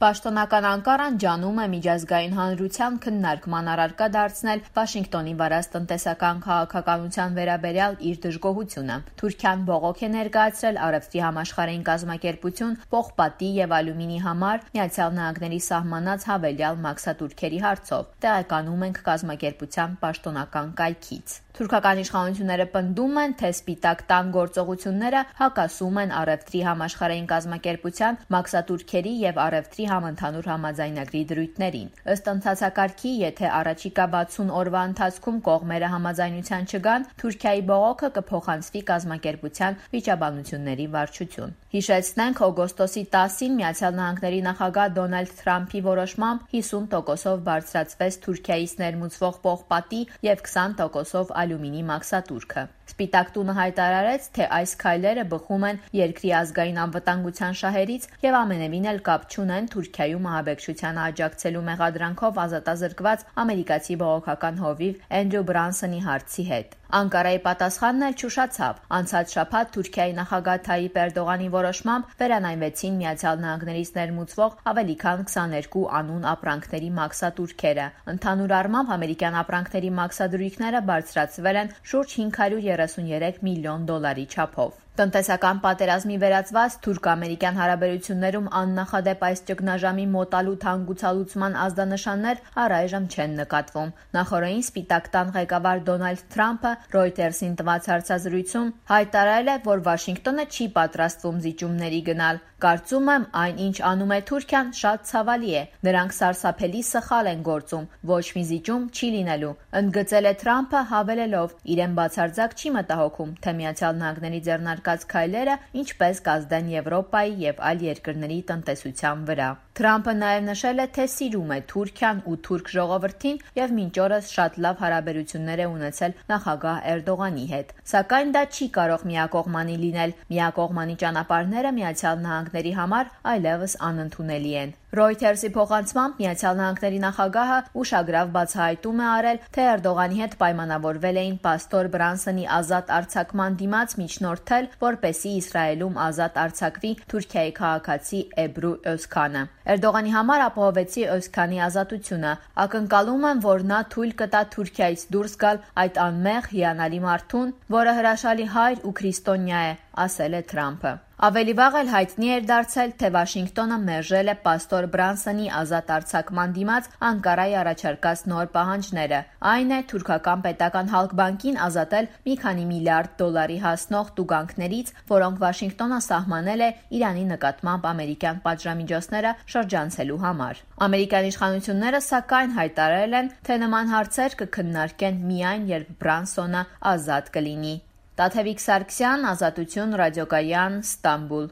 Պաշտոնական Անկարան ջանում է միջազգային հանրության քննարկման առարկա դարձնել Վաշինգտոնի վարած տնտեսական քաղաքականության վերաբերյալ իր դժգոհությունը։ Թուրքիան բողոք է ներկայացրել Արևտրի համաշխարհային կազմակերպություն պողպատի եւ ալյումինի համար ԱՄՆ-ի սահմանած հավելյալ մաքսատուրքերի հարցով։ Տեղեկանում ենք կազմակերպության պաշտոնական կայքից։ Թուրքական իշխանությունները պնդում են, թե Սպիտակ տան գործողությունները հակասում են Արևտրի համաշխարհային կազմակերպության մաքսատուրքերի եւ Արևտրի համընդհանուր համաձայնագրի դրույթներին։ Ըստ ընթացակարգի, եթե առաջիկա 60 օրվա ընթացքում կողմերը համաձայնության չգան, Թուրքիայի բողոքը կփոխանցվի կազմակերպության վիճաբանությունների վարչություն։ Հիշեցնենք, օգոստոսի 10-ին ԱՄՆ նախագահ Դոնալդ Թրամփի որոշմամբ 50%-ով բարձրացվեց Թուրքիայից ներմուծվող պողպատի եւ 20%-ով ալյումինի մաքսատուրքը։ Սպիտակ տունը հայտարարեց, թե այս քայլերը բխում են երկրի ազգային անվտանգության շահերից եւ ամենևին էլ կապ չունեն Թուրքիայում ահաբեկչությանը աջակցելու մեղադրանքով ազատազրկված ամերիկացի բողոքական հովիվ Էնդրյու Բրանսոնի հարցի հետ։ Անկարայի պատասխանն էլ չուշացավ։ Անցած շաբաթ Թուրքիայի նախագահ Թայիպ Էրդողանի որոշմամբ վերանայվեցին ԱՄՆ-ից ներմուծվող ավելի քան 22 անուն ապրանքների մաքսատուրքերը։ Ընդհանուր առմամբ ամերիկյան ապրանքների մաքսադրույքները բարձրացվել են շուրջ $533 միլիոն չափով։ Տնտեսական պատերազմի վերածված թուրք-ամերիկյան հարաբերություններում աննախադեպ այս ճգնաժամի մոտալուտ հանգուցալուծման ազդանշաններ առայժմ չեն նկատվում։ Նախօրեին Սպիտակ տան ղեկավար Դոնալդ Թրամփը Reuters-ին տված հարցազրույցում հայտարարել է, որ Վաշինգտոնը չի պատրաստվում զիջումների գնալ։ Կարծում եմ, այն, ինչ անում է Թուրքիան, շատ ցավալի է։ Նրանք սարսափելի սխալ են գործում։ Ոչ մի զիջում չի լինելու, ընդգծել է Թրամփը, հավելելով. իրեն բացարձակ չի մտահոգում, թե ԱՄՆ-ի ձեռնարկած քայլերը ինչպես կազդեն Եվրոպայի եւ այլ երկրների տնտեսության վրա։ Թրամփը նաև նշել է, թե սիրում է Թուրքիան ու թուրք ժողովրդին եւ մինչ օրս շատ լավ հարաբերություններ է ունեցել նախագահ Էրդողանի հետ։ Սակայն դա չի կարող միակողմանի լինել։ Միակողմանի ճանապարհները ԱՄՆ-ի համար այլևս անընդունելի են։ Reuters-ի փոխանցմամբ ԱՄՆ նախագահը ուշագրավ բացահայտում է արել, թե Էրդողանի հետ պայմանավորվել էին պաստոր Բրանսոնի ազատ արձակման դիմաց միջնորդել, որպեսզի Իսրայելում ազատ արձակվի Թուրքիայի քաղաքացի Էբրու Օզքանը։ Էրդողանի համար ապահովեցի Օզքանի ազատությունը։ Ակնկալում եմ, որ նա թույլ կտա Թուրքիայից դուրս գալ այդ անմեղ հիանալի մարդուն, որը հրաշալի հայր ու քրիստոնյա է, ասել է Թրամփը։ Ավելի վաղ էլ հայտնի էր դարձել, թե Վաշինգտոնը մերժել է պաստոր Բրանսոնի ազատ արձակման դիմաց Անկարայի առաջարկած նոր պահանջները։ Այն է թուրքական պետական Հալկբանկին ազատել մի քանի միլիարդ դոլարի հասնող տուգանքներից, որոնք Վաշինգտոնը սահմանել է Իրանի նկատմամբ ամերիկյան պատժամիջոցները շրջանցելու համար։ Ամերիկյան իշխանությունները սակայն հայտարարել են, թե նման հարցեր կքննարկեն միայն, երբ Բրանսոնը ազատ կլինի։ Տաթևիկ Սարգսյան, Ազատություն ռադիոկայան, Ստամբուլ։